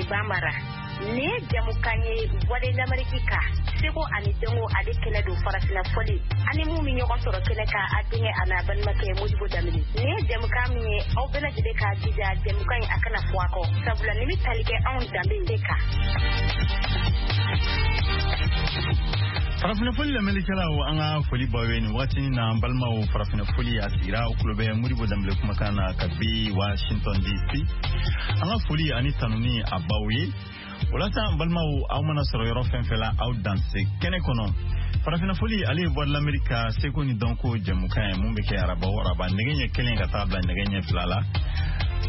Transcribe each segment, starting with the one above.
ani Bambara. Nin ye jamukan ye Voix de l'Amérique kan, seko ani dɔnko ale kɛnɛ don farafinna fɔli ani mun bɛ ɲɔgɔn sɔrɔ kɛnɛ kan, a denkɛ a n'a balimakɛ Modibo Danbele. Nin ye jamukan min ye, aw bɛɛ lajɛlen k'a jija jamukan in a kana fɔ a kɔ, sabula nin bɛ tali kɛ anw danbe de kan. Farafinna fɔli lamɛnnikɛlaw, an ka foli b'aw ye nin wagati na. An balimaw, farafinna fɔli a sigira, aw tulo bɛ Modibo Danbele kumakan na kabi Washington DC. An ka foli ani tanuni a b'aw ye. O la sa, an balimaw, aw mana sɔrɔ yɔrɔ fɛn fɛn la, aw danse kɛnɛ kɔnɔ. Farafinna fɔli, ale ye Voix de l'Amérique ka seko ni dɔnko jɛmukan ye mun bɛ kɛ araba o araba nɛgɛ ɲɛ 1 ka taa bila nɛgɛ ɲɛ 2 la.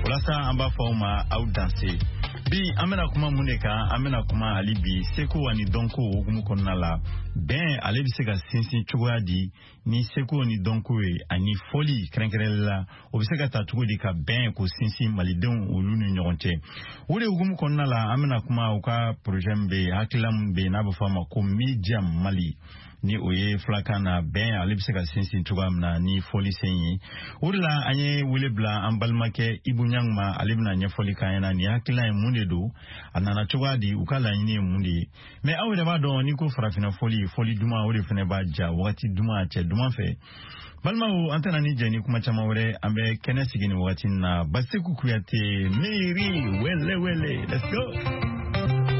O la sa, an b'a fɔ aw ma aw danse. Bi an bɛna kuma mun de kan? An bɛna kuma hali bi seko ani dɔnko hukumu kɔnɔna la. Bɛn ale bɛ se ka sinsin cogoya di ni seko ni dɔnko ye, ani fɔli kɛrɛnkɛrɛnli la, o bɛ se ka ta cogo di ka bɛn k'o sinsin malidenw olu ni ɲɔgɔn cɛ? O de hukumu kɔnɔna la, an bɛna kuma u ka projet min bɛ yen, hakilila min bɛ yen n'a bɛ fɔ a ma ko Mijam Mali, ni o ye filakan na bɛn ale bɛ se ka sinsin cogoya min na ni fɔli sen ye. O de la an ye wele bila an balimakɛ Ibu Ɲang ma, ale bɛna ɲɛfɔli k'an ɲɛna nin hakilina ye mun de don, a nana cogoya di, u ka laɲini ye mun de ye. Mais aw yɛrɛ b'a dɔn, n'i ko farafinna fɔli, fɔli duman, o de fana b'a ja wagati duman, cɛ duman fɛ. Balimaw, an tɛna ni jɛ ni kuma caman wɛrɛ, an bɛ kɛnɛ sigi nin wagati in na. Basiku Kuyate, Miiri Wele Wele, let's go.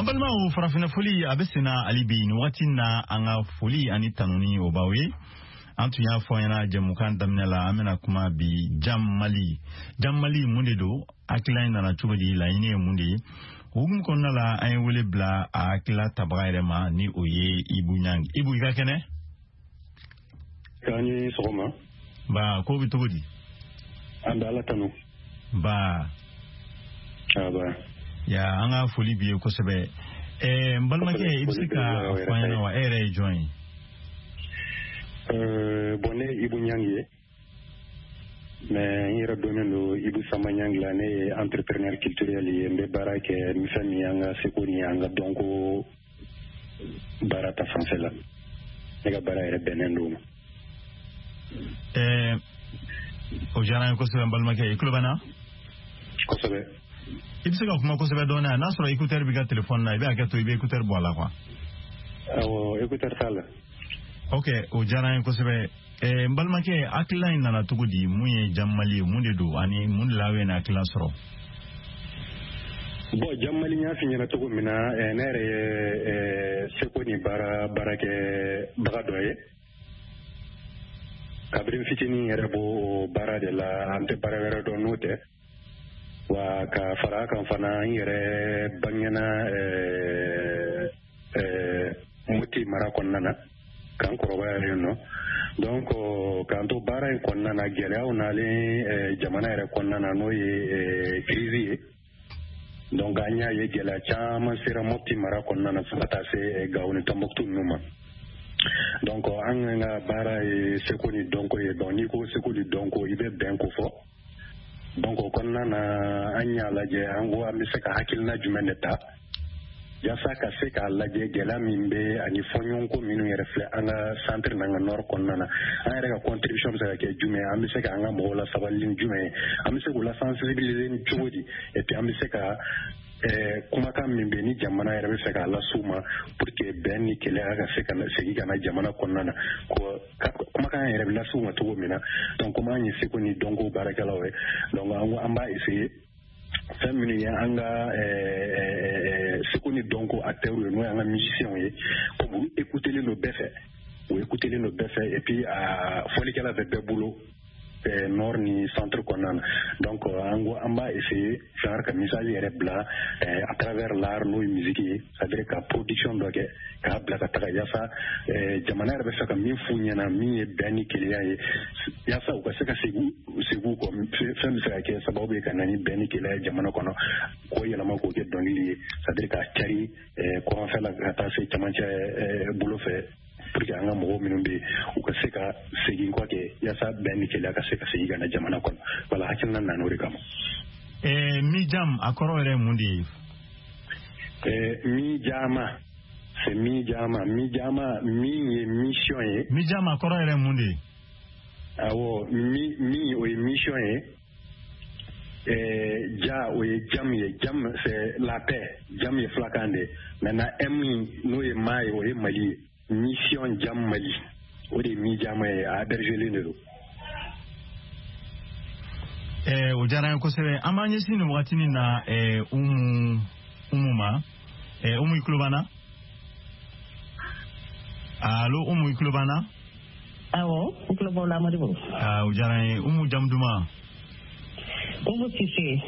An balimaw, farafinna foli a bɛ senna hali bi. Nin wagati na, an ka foli ani tanuni o b'aw ye. An tun y'a fɔ an ɲɛna jɛmukan daminɛ la, an bɛna kuma bi Jam Mali. Jam Mali, mun de don? Hakilila in nana cogo di? Laɲini ye mun de ye? O hukumu kɔnɔna la, an ye wele bila a hakilila tabaga yɛrɛ ma, ni o ye Ibu Ɲangi. Ibu, i ka kɛnɛ? K'an ni sɔgɔma. Ba, ko bɛ cogo di? An bɛ Ala tanu. Ba. Aba. Ya, an ka foli b'i ye kosɛbɛ. N balimakɛ, i bɛ se ka fɔ an ɲɛna wa, e yɛrɛ ye jɔn ye? Bon, ne ye Ibu Ɲangi ye, mais n yɛrɛ dɔnnen don Ibu Sama Ɲangi la. Ne ye entrepreneur culturel ye. N bɛ baara kɛ ni fɛn min ye, an ka seko ni an ka dɔnko baara ta fanfɛ la. Ne ka baara yɛrɛ bɛnnen don o ma. O diyara n ye kosɛbɛ. N balimakɛ, i tulo bɛ n na? Kosɛbɛ. I bɛ se ka kuma kosɛbɛ dɔɔnin? N'a sɔrɔ écouteur b'i ka téléphone na, i bɛ hakɛ to, i bɛ écouteur bɔ a la quoi. Awɔ, écouteur t'a la. Ok, o diyara n ye kosɛbɛ. N balimakɛ, hakilila in nana cogo di? Mun ye Jam Mali ye? Mun de don ani mun de la aw ye nin hakilila sɔrɔ? Bon, Jam Mali, n y'a f'i ɲɛna cogo min na, ne yɛrɛ ye seko ni baara baarakɛbaga dɔ ye. Kabini n fitinin yɛrɛ b'o baara de la, an tɛ baara wɛrɛ dɔn n'o tɛ. Wa ka fara a kan fana, n yɛrɛ bangena Moti mara kɔnɔna na, k'an kɔrɔbaya yen nɔ. Donc k'an to baara in kɔnɔna na, gɛlɛyaw nalen jamana yɛrɛ kɔnɔna na, n'o ye crise ye. Donc an y'a ye gɛlɛya caman sera Mopti mara kɔnɔna na, fo ka taa se Gawo ni Tɔnbɔkutu ninnu ma. Donc an ka baara ye seko ni dɔnko ye. Donc n'i ko seko ni dɔnko, i bɛ bɛn ko fɔ. Donc o kɔnɔna na, an y'a lajɛ, an ko an bɛ se ka hakilina jumɛn de ta yaasa ka se k'a lajɛ gɛlɛya min bɛ ani fɔɲɔgɔnkɔ minnu yɛrɛ filɛ an ka centre n'an ka nord kɔnɔna na, an yɛrɛ ka contribution bɛ se ka kɛ jumɛn ye, an bɛ se ka an ka mɔgɔw la sabali ni jumɛn ye, an bɛ se k'u la sensibiliser ni cogo di, et puis an bɛ se ka kumakan min bɛ ni jamana yɛrɛ bɛ fɛ k'a las'u ma pour que bɛn ni kelenya ka se ka segin ka na jamana kɔnɔna na, kumakan yɛrɛ bɛ las'u ma cogo min na. Donc komi an ye seko ni dɔnko baarakɛlaw ye, donc an ko an b'a essayer, fɛn minnu ye an ka seko ni dɔnko acteurs ye, n'o y'an ka musiciens ye, comme olu écoutelen don bɛɛ fɛ, u écoutelen don bɛɛ fɛ, et puis a fɔlikɛla bɛ bɛɛ bolo nord ni centre kɔnɔna na. Donc an ko an b'a essayer genre ka message yɛrɛ bila à travers l'art, n'o ye musique ye, c'est à dire ka production dɔ kɛ k'a bila ka taga, yaasa jamana yɛrɛ bɛ fɛ ka min f'u ɲɛna, min ye bɛn ni kelenya ye, yaasa u ka se ka segin u kɔ. Fɛn bɛ se ka kɛ sababu ye ka na ni bɛn ni kelenya ye jamana kɔnɔ, k'o yɛlɛma k'o kɛ dɔnkili ye, c'est à dire k'a cari kɔrɔnfɛ la ka taa se camancɛ bolo fɛ, pour que an ka mɔgɔw minnu bɛ yen, u ka se ka segin kɔ kɛ, yaasa bɛn ni kelenya ka se ka segin ka na jamana kɔnɔ. Wala, hakilina nana o de kama. Mijam, a kɔrɔ yɛrɛ mun de ye? Mijama, c'est Mijama. Mijama min ye mission ye. Mijama kɔrɔ yɛrɛ mun de ye? Awɔ, mi mi o ye mission ye. Ja, o ye jam ye. Jam, c'est la paix. Jam ye fulakan de ye. Maintenant, M, n'o ye ma ye, o ye Mali ye. Mission Jam Mali, o de ye Mijama ye, a abrégélen de don. O diyara n ye kosɛbɛ. An b'an ɲɛsin nin wagatinin na Umu ma. Umu, i tulo b'an na? Allo, Umu, i tulo b'an na? Awɔ, n tulo b'aw la, Modibo. O diyara n ye. Umu, jamu duman? Umu Sise.